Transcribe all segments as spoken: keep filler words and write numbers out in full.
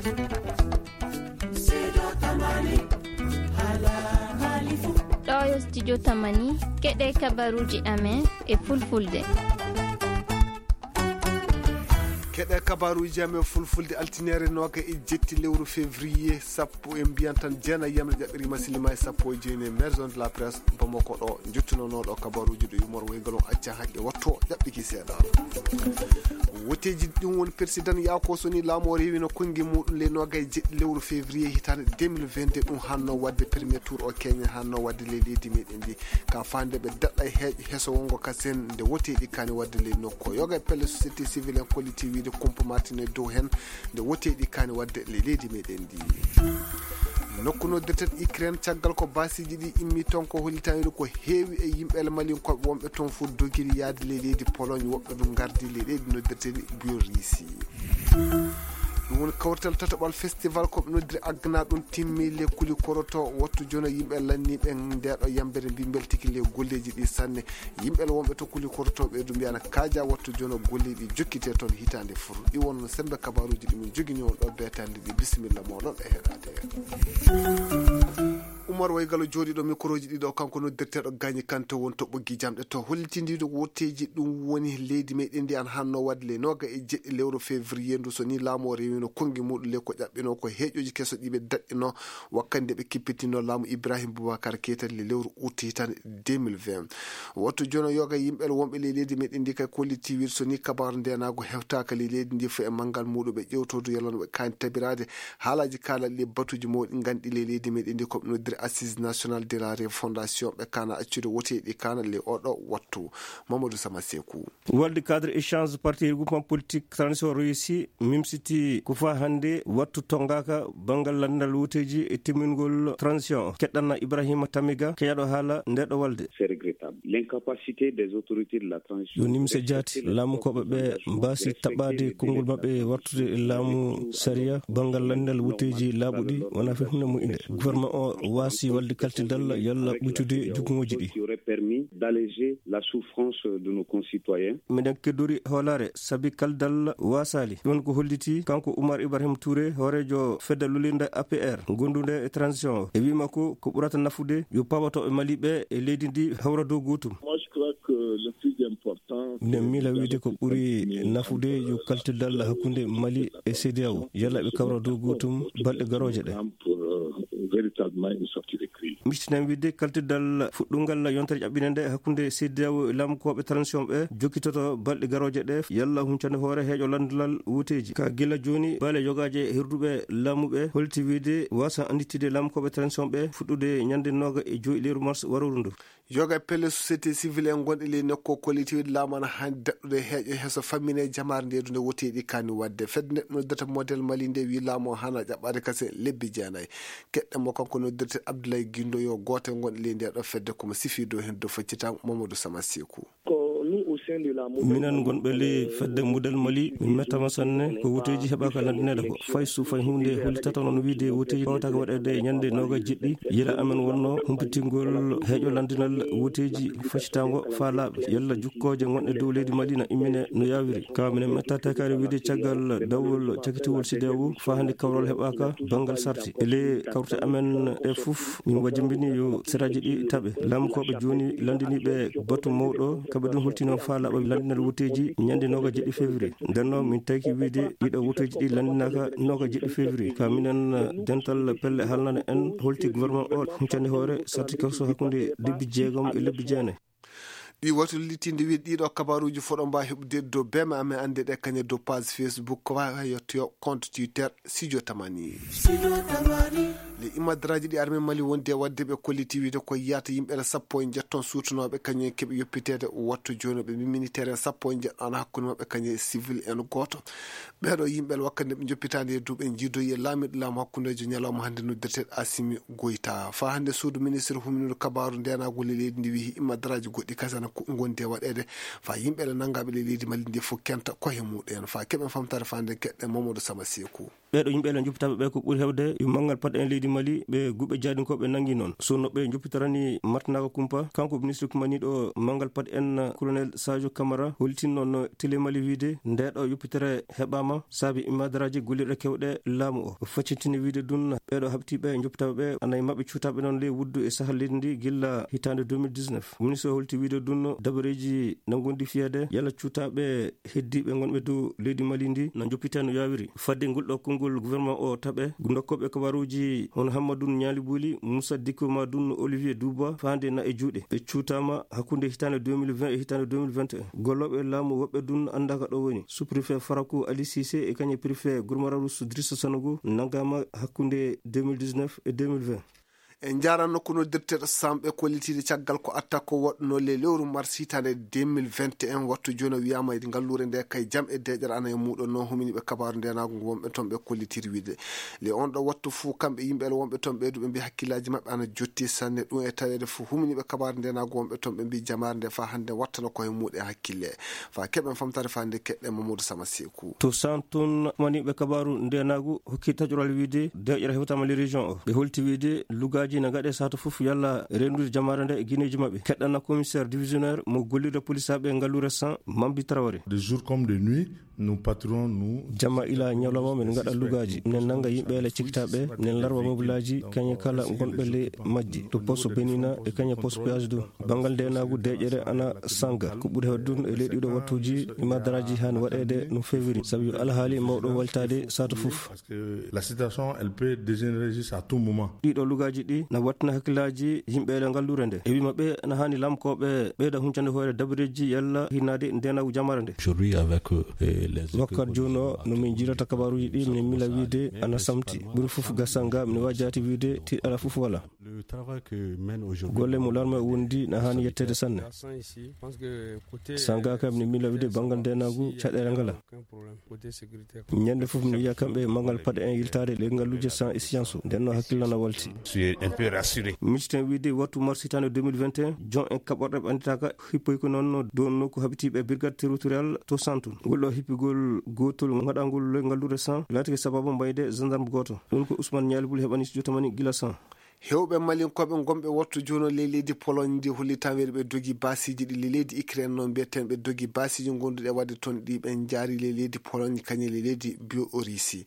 Ɗo yo studio Tamani, keɗe kabaruuji amen e fulfulde. Keɗe kabaruuji amen fulfulde, altineere nooga e jetti lewru février, sappo, en mbiyan tan jeenayi yamre ƴaɓɓiri masilima e sappo e jeenayi, maison de la presse Bamako ɗo, njottunonooɗo kabaruuji ɗo yumor waygal on acca haqqe watto ƴaɓɓiki seeɗa. Woteeji ɗin woni président Yaako Soni laamu o rewino konngi muɗum ley nooga e jeɗɗi lewru février hitaande deux mille vingt-deux, ɗum hanno waɗde premier tour o Kenya, hanno waɗde ley leydi meɗen ndi. Ka faande ɓe daɗɗa e heeƴo heso wongo ka sen nde woteeji kani waɗde ley nokku o. Yoga e pelle société civile en kolliti wiide kumpa martine dow hen nde woteeji kani waɗde ley leydi meɗen ndi. Nokku noddirten Ukraine, caggal ko baasiiji ɗi immi toon, ko hollitani ko heewi e yimɓe Malinkooɓe wonɓe toon fof dogiri yaade ley leydi Pologne, woɓɓe ɗum ngardi ley leydi noddirteni Biorisi. Ɗum woni kawrital tataɓal festival ko ɓe noddiri Agna, ɗum timmi le kuli koroto. Wattu jono yimɓe lanniiɓe ndeeɗo yambere mbi mbeltiki le golleeji ɗi sanne. Yimɓe wonɓe to kuli korotooɓe ɗum mbiyana kaaja wattu jono golleeji ɗi jokkite toon hitaande fof. Ɗi wonno sembe kabaruuji ɗi min jogini on ɗo beetande ɗi. Bisimilla mooɗon e heɗaade. Umar Waygalo jooɗiiɗo mikroji ɗiɗo, kanko noddirteeɗo Gagny Kanté won to ɓoggi jamɗe to hollitindiiɗo wotteeji. Ɗum woni leydi meɗen ndi an hanno waɗde le nooga e jeɗɗi lewru février ndu, so ni laamu o rewino konngi muɗum le ko ƴaɓɓino ko heeƴoji keso ɗiɓe daɗɗino wakkande ɓe kippitino laamu Ibrahim Boubacar Keita le lewru août hitande deux mille vingt. Wattu jono yoga yimɓe wonɓe le leydi meɗen ndi kay kolliti wir so ni kabaru ndenago hewtaka le leydi ndi fo e manngal muɗum ɓe ƴewtodu yalano ɓe kani tabirade haalaji kalaɗi ɗi batuji mawɗi ganɗi le leydi meɗen ndi ko ɓe noddiri Assise Nationale de la Refondation ɓe kana accude woteɗi kana le oɗo wattu. Mamadou Sama Sekou. Walde cadre échange parti regroupement politique transition réussi mimsiti ko fa hannde wattu tongaka banngal lanndal wuteji e timmingol transition. Keɗɗanna Ibrahima Tamiga keyaɗo haala nde ɗo walde. C'est regrettable. L'incapacité des autorités de la transition. Yo nimse jaati, laamukoɓe ɓe mbaasi taɓɓade konngol maɓɓe wartude e laamu sariya banngal lanndal wuteji laaɓuɗi wona fe hunde moƴƴunde. Gouvernement o waasi walde kaltidal yalla ɓuytude jukuŋoji ɗi. Qui aurait permis d'alléger la souffrance de nos concitoyens. Miɗen keddori hoolaare sabi kaldal waasaali. Ɗum ko holliti kanko Oumar Ibrahim Touré, hooreejo fedde lolirde A P R, gondunde e transition o. E wii makko ko ɓurata nafude yo pawotooɓe Mali ɓe e leydi ndi hawra dow gootum. Moi, je crois que le plus important, minen miila wiide ko ɓuri nafude yo kaltidal hakkunde Mali e C D A O. Yalla ɓe kawra dow gootum balɗe garooje ɗe. Pour, euh, véritablement une sortie de crise. Miccitinan wiide kaltidal fuɗɗungal yontere ƴaɓɓinde nde hakkunde C D A O e laamukooɓe transition ɓe jokkitoto balɗe garooje ɗe yalla huncande hoore heeƴo lanndalal wuteeji. Ka gila jooni baale yogaaje hirduɓe laamuɓe holti wiide wasa annditide laamukooɓe transition ɓe fuɗɗude ñande nooga e joyi lewru mars warooru ndu. Yoga e pelle société civile en gonɗe ley nokku o kolliti wiide laamu ana haani daɗɗude heeƴo heeso fammine jamaare nde ɗum nde woteeɗi kani waɗde. Fedde nde noddata modèle Mali nde wi laamu o hana ƴaɓɓade kase lebbi jeenayi. Keɗɗen mo kanko noddirte Abdoulaye Guindo yo gooto e gonɗe ley nde ɗo fedde komo sifi dow hen dow faccitango Mamadou Sama Sekou. Ko nous au sein de la modèle Minen gonɓe ley fedde modèle Mali min mettama sanne ko wuteeji heɓaka landineɗo ko fay su fay hunde hollitata noon wiide wuteeji pawtaka waɗede ñande nooga jeɗɗi. Yila amen wonno humpitingol heeƴo landinal wuteeji faccitango faalaaɓe yalla jukkooje gonɗe dow leydi Mali na immine no yaawiri. Ka minen metta tekaare wiide caggal dawol cakitiwol C D A O faa hannde kawral heɓaaka banngal sarti. E ley kawrte amen ɗe fof min wajimbini yo seraaji ɗi taɓe. Laamukooɓe jooni lanndiniiɓe batu mawɗo, kamɓe ɗum holtino faa laaɓa lanndinal wuteeji ñande nooga jeɗɗi février. Nden noon min tawki wiide ɗiɗo wuteeji ɗi lanndinaaka nooga jeɗɗi février. Ka minen dental pelle haalnana en holti gouvernement o huncande hoore sarti kewso hakkunde lebbi jeegom e lebbi jeenayi. Ɗi wayto lilitinde wiide ɗiɗo kabaruuji foɗo mba heɓude dow bema amen annde ɗe kañe dow page Facebook ko wawi yettoyo compte Twitter Studio Tamani. Le imadraji ɗi armée Mali wondi e wadde ɓe kolliti wiide ko yiyata yimɓe sappo e jeetto suutunoɓe kañum en keɓi yoppitede wattu jooni ɓe mimini terrain sappo e jeetto ana hakkunde maɓɓe kañum e civil en gooto. Ɓeeɗo yimɓe wakkati nde ɓe joppitaande e duuɓi en jiidoyi e laamiiɗo laamu hakkundeejo ñalawma hannde noddirteeɗo Asimi Goyta. Faa hannde suudu ministre huminooɗo kabaaru ndeenaagol e leydi ndi wiyi imadraji goɗɗi kasana ko ngondi e waɗeede faa yimɓe ɗe nanngaaɓe ley leydi Mali ndi fof kenta koye muɗum en faa keɓen famtaare faa nde keɗɗen Mamadou Sama Sekou. Ɓeeɗo yimɓe ene njuppitaɓe ɓe ko ɓuri heewde yo manngal paɗe en leydi Mali ɓe guɓe jaadinkooɓe nangi noon. So no ɓe njoppitorani martanaaka kumpa, kanko ministre kumaniiɗo manngal paɗe en, Colonel Sadio Camara, hollitin noon Télé Mali wiyde nde ɗo yoppitere heɓaama saabi imadaraaji gollirɗe kewɗe laamu o. O faccintini wiyde ɗum ɓeeɗo haɓtiiɓe njoppitaaɓe ɓe, ana e maɓɓe cuutaaɓe noon ley wuddu e sahal leydi ndi gilla hitaande deux mille dix-neuf. Ministre o holti wiyde ɗum dabareeji na ngondi fiyeede yalla cuutaaɓe heddiiɓe ngonɓe dow leydi Mali ndi na njoppitee no yaawiri. Fadde ngol ɗo konngol gouvernement o taɓe, ndokkooɓe kabaaruuji hono Hammadou Niali Bouli, Moussa Diko ma ɗum Olivier Duba, faande na e juuɗe. Ɓe cuutaama hakkunde hitaande deux mille vingt e hitaande deux mille vingt et un. Gollooɓe laamu woɓɓe ɗum anndaaka ɗo woni. Sous-préfet Farakou Ali Cissé e kañum préfet Gourmararous Drisso Sanogo nanngaama hakkunde deux mille dix-neuf e deux mille vingt. E njaran nokku noddirteeɗo Sam ɓe kollitiiɗe caggal ko attaque ko waɗnoo le lewru mars hitaande deux mille vingt et un, wattu jooni o wiyaama e ngalluure nde kay jam e deeƴere ana e muuɗo no huminiiɓe kabaaru ndeenaagu ngu wonɓe toon ɓe kollitiiɗe wiyde le on ɗo wattu fuu kamɓe yimɓe ele wonɓe toon ɓeyduɓe mbi hakkillaaji maɓɓe ana jotti sanne ɗum e taweede fuu huminiiɓe kabaaru ndeenaagu wonɓe toon ɓe mbi jamaare nde faa hannde wattana ko e muuɗe hakkille. Faa keɓen famtaare faa nde keɗɗen Mamadou Sama Seeku. To Santon, maniiɓe kabaaru ndeenaagu hokki taƴoral wiyde deeƴere hewtaama le région o. Ɓe holti wiyde lugaaji na ngaɗe sato fof yalla reenude jamaare nde e gineeji maɓɓe. Keɗɗana commissaire divisionnaire mo gollirde polisaaɓe ngalluure San, Mambi Traoré. De jour comme de nuit, nous patrouillons, nous. Jamma ila ñalawma men ngaɗa lugaaji, men nannga yimɓe ele cikkitaaɓe, men larwa mobilaaji, kañe kala ngonɓe le majji, to poste Benina e kañe poste péage ɗum. Banngal ndeenaagu deeƴere ana sanga. Ko ɓuri heewde ɗum e leyɗi ɗo wattuuji, imadaraaji haani waɗeede no feewiri, sabu yo alhaali mawɗo waltaade sato fof. Parce que la situation, elle peut dégénérer juste à tout moment. Ɗiɗo lugaaji ɗi na wattina hakkillaaji yimɓe e ngalluure nde. E wii maɓɓe na haani lamkooɓe ɓeyda huncande hoore dabareeji yalla hinnaade ndeenaagu jamaare nde. Aujourd'hui, avec, euh, les. Wakkati jooni o, no min njirata kabaaruuji ɗi, min mila wiide ana samti. Ɓuri fof gasanga, min waajaati wiide tiiɗala fof wala. Le travail que mène aujourd'hui. Golle mo larme wondi na haani yetteede sanne. Sanga kam ni mila wiide banngal ndeenaagu caɗeele ngala. Ñande fof mi wiya kamɓe manngal paɗe en yiltaade le ngalluuje San e science o. Nden no hakkille na walti. Je suis un peu rassuré. Micciten wiide wattu mars hitaande deux mille vingt et un, jon en kaɓorɗe ɓe annditaaka hippoy ko noon dow nokku haɓitiiɓe brigade territorial to Santon. Ngol ɗo hippigol gootol ngaɗangol le ngalluure San laatike sababu mbayde gendarme gooto. Ɗum ko Ousmane Nialibul heɓani studio tamani gila San. Heewɓe Malinkooɓe ngonɓe wattu jooni ley leydi Pologne ndi holli tan weeɗi ɓe dogi baasiiji ɗi ley leydi Ukraine noon mbiyeten ɓe dogi baasiiji ngonduɗi e waɗde toon ɗi ɓe njaari ley leydi Pologne kañum ley leydi Biorussie.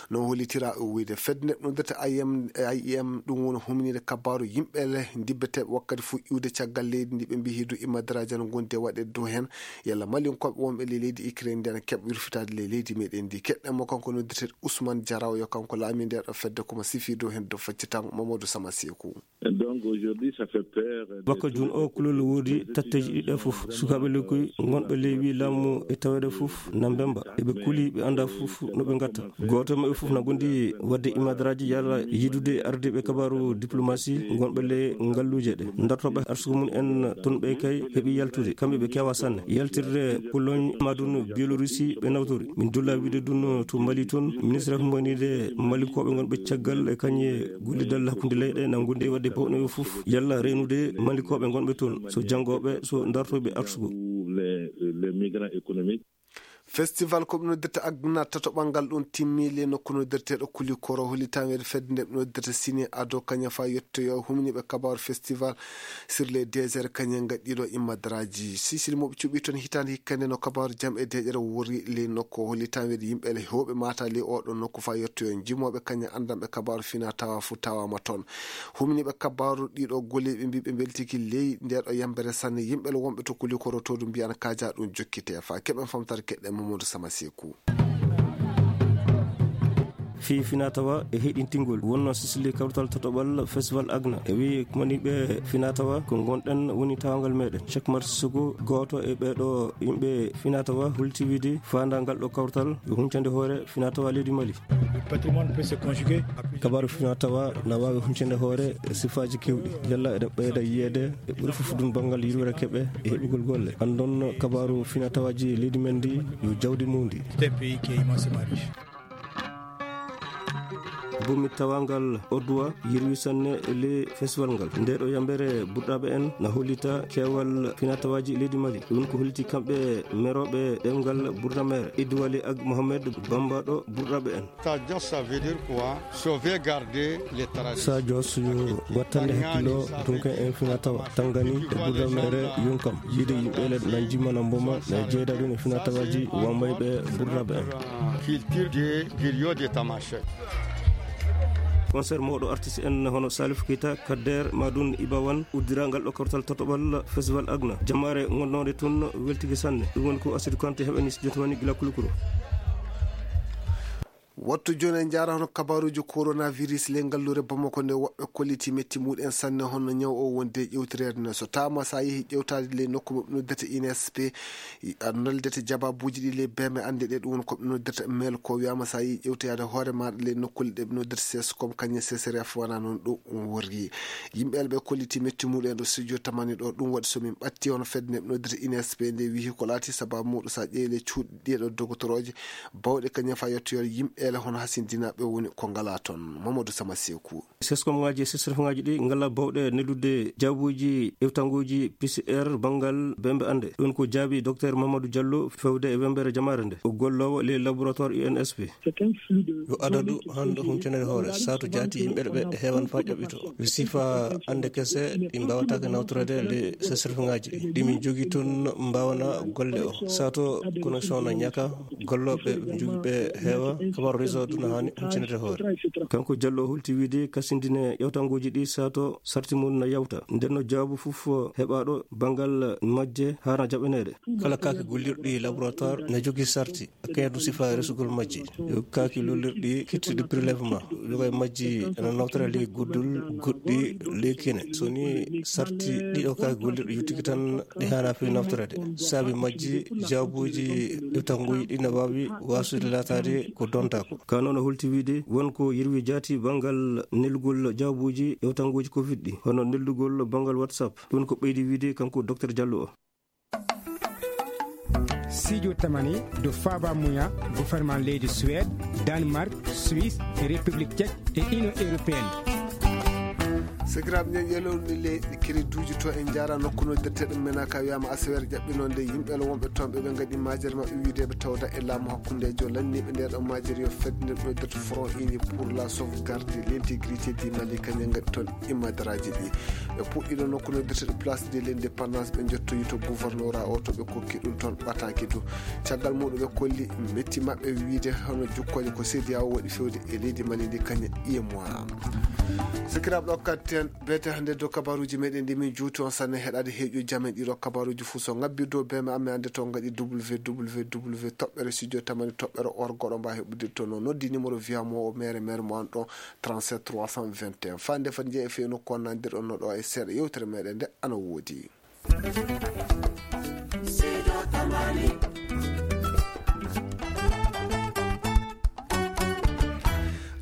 No hollitira o wiyde fedde nde noddirta I M, I M ɗum woni huminide kabaaru yimɓe le ndibbeteeɓe wakkati fof iwde caggal leydi ndi ɓe mbi hidu immadaraaji no ngondi e waɗde dow heen. Yalla Malinkooɓe wonɓe ley leydi Ukraine ndi ana keɓa wirfitaade ley leydi meɗen ndi. Keɗɗen mo kanko noddirteeɗo Ousmane Diaraw yo kanko laami nde ɗo fedde komo sifi dow heen dow faccitango Mamadou Sama Seeku. Donc aujourd'hui, ça fait peur. Bako jun o kulol woodi tatteeji ɗiɗi fof. Sukaaɓe lekkoy ngonɓe ley wi laamu e taweede fof na mbemba. Eɓe kuli ɓe annda fof no ɓe ngatta. Gooto e maɓɓe fof na gondi waɗde imadaraaji yalla yidude ardiiɓe kabaaru diplomasi ngonɓe ley ngalluuje ɗe. Dartooɓe arsugo mum en toon ɓe kay heɓi yaltude. Kamɓe ɓe kewa sanne. Yaltirde Pologne ma ɗum Bielorussie ɓe nawtori. Min dulla wiide ɗum to Mali toon. Ministre humbaniide Malinkooɓe ngonɓe caggal e kañe gollidal hakkunde leyɗe na gondi e waɗde bawɗe fof. Yalla reenude Malinkooɓe ngonɓe toon. So janngooɓe, so dartooɓe arsugo. Les, les migrants économiques. Festival ko ɓe noddirta Agna tatoɓal ngal ɗum timmi le nokku noddirteeɗo Kulikoro holli tan weeɗe fedde nde ɓe noddirta Sini Ado kañum fa yettoyo humniiɓe kabaaru festival sur les désert kañum gaɗɗiiɗo immadaraaji. Sisiri mo ɓe cuɓi toon hitaande hikka nde no kabaaru jam e deeƴere wori le nokku holli tan weeɗe yimɓe le heewɓe mata le oɗo nokku fa yettoyo jimooɓe kañum anndanɓe kabaaru fina tawa fu tawama toon. Humniiɓe kabaaru ɗiɗo golle ɓe mbi ɓe mbeltiki ley nde ɗo yambere sanne yimɓe le wonɓe to Kulikoro to ɗum mbiyan kaja ɗum jokkite fa keɓen famtare keɗɗen Mamadou Sama Seeku. Fii finatawa e heɗintingol wonno sisili kawtal tatoɓal festival Agna e wi kumaniɓe finatawa ko gonɗen woni tawangal meɗen. Cheikh Mar Sissoko, gooto e ɓeɗo yimɓe finatawa, hulti wiide fandangal ɗo kawtal yo huncande hoore finatawa leydi Mali. Kabaaru finatawa na wawi huncande hoore e sifaji kewɗi. Yalla eɗen ɓeyda yiyeede e ɓuri fof ɗum banngal yurwere keɓe e heɓugol golle. Andon kabaaru finatawaji leydi men ndi yo jawdi mundi. C'est un pays qui est immensément riche. Bomi tawangal Oduwa yirwi sanne le festival ngal. Nde ɗo yambere burɗaɓe en na hollita kewal finatawaaji leydi Mali. Ɗum ko holliti kamɓe merooɓe ɗemngal burɗa mere Idwali ak Mohamed Bamba ɗo burɗaɓe en. Sa Jos, ça veut dire quoi? Sauvegarder les traditions. Sa Jos yo wattande hakkilo, dunke en finatawa tangani e burɗa mere yonkam. Yiide yimɓe le nan jimma na mboma na jeeda ɗum e finatawaaji wambayɓe burɗaɓe en. Culture de griot de Tamashek. Concert mawɗo artiste en hono Salif Keita, Kader, Madoun Ibawan, uddirangal ɗo kortal tatoɓal festival Agna. Jamaare ngonnooɗe toon weltike sanne. Ɗum woni ko Asidou Kanté heɓani studio to mani gila Kulukuro. Wattu jooni en njaara hono kabaruuji coronavirus ley ngalluure Bamako nde woɓɓe kolliti metti muɗen sanne hono ñaw o wonde e ƴewtireede no. So taama sa yehi ƴewtaade ley nokku mo ɓe noddirta I N S P, a noldete jabaabuuji ɗi ley beme annde ɗe ɗum woni ko ɓe noddirta mail ko wiyama sa yehi ƴewtoyaade hoore maɗa ley nokkulle ɗe ɓe noddirta ses comme kañum ses ref wona noon ɗum worri. Yimɓe ɓe kolliti metti muɗen ɗo studio tamani ɗo ɗum waɗi so min ɓatti hono fedde nde ɓe noddirta I N S P nde wihi ko laati sababu muɗum sa ƴeewi ley cuuɗi ɗiɗo dogotorooje bawɗe kañum fa yettoyol yimɓe ele hono hasindinaaɓe woni ko ngala toon. Mamadou Sama Seeku. Seskomŋaaji e sesrefŋaaji ɗi ngala bawɗe neldude jaabuuji ƴewtanguuji P C R banngal bembe annde. Ɗum ko jaabi Docteur Mamadou Diallo fewde e wembere jamaare nde. O golloowo ley laboratoire I N S P. Yo adadu hannde humpinere hoore, sato jaati yimɓe ɓe heewan faa ƴaɓɓito. Wi sifa annde kese ɗi mbaawataake nawtorede le sesrefŋaaji ɗi. Ɗi min jogi toon mbaawana golle o. Sato connexion na ñaka, gollooɓe jogi ɓe heewa, kabar réseau duna haani humpinere hoore. Kanko Jallo o hulti wiide kasindine ƴewtanguuji ɗi sato sarti mum na yawta. Nden no jaabu fof heɓaaɗo banngal majje haana jaɓaneede. Kala kaake gollirɗi laboratoire na jogi sarti. Kayru sifa resugol majji. Yo kaaki lollirɗi kittude prélèvement. Yoga e majji ana nawtora ley guddul, goɗɗi ley kine. So ni sarti ɗiɗo kaaki gollirɗi yottiki tan ɗi haana fi naftorede. Saabi majji jaabuuji ƴewtanguuji ɗi na waawi waasude laataade ko dontaako. Ka noon o hulti wiide won ko yerwi jaati banngal nelgol jaabuuji ƴewtanguuji covid ɗi. Hono neldugol banngal WhatsApp. Ɗum ko ɓeydi wiide kanko Docteur Jallo o. Sijo tamani do faba muya gouvernement leydi Suède, Danemark, Suisse, République Tchèque et Union Européenne. Sakiraaɓe men yelowni le kiriduuji to en njaara nokku no detteɗo mena ka wiyama asewer ƴaɓɓinonde yimɓe lo wonɓe toon ɓe ɓe ngaɗi majere maɓɓe wiideɓe tawda e laamu hakkundejo lanniɓe nde ɗo majere yo fedde no detto front uni pour la sauvegarde l'intégrité du Mali kañum ngaɗi toon imadaraaji ɗi. Ɓe puɗɗiɗo nokku no dirteɗo place de l'indépendance ɓe jottoyi to gouvernorat o to ɓe kokki ɗum toon ɓataaki du. Caggal muɗum ɓe kolli metti maɓɓe wiide hono jukkoje ko C D A O waɗi fewde e leydi Mali ndi kañum iye mois. Sakiraaɓe ɗo katten beete hannde dow kabaruuji meɗen ndi min juuti on sanne heɗade heeƴu jamen ɗiɗo kabaruuji fuu so ngabbi dow beme amme ande to ngaɗi www toɓɓere studio tamani toɓɓere orgoɗo mba heɓudirto no noddi numéro via mo o mere mere mo an ɗo trente-sept trois cent vingt et un. Fande fat jeeya e fewno ko nandirɗon no ɗo e seeɗa yewtere meɗen nde ana woodi.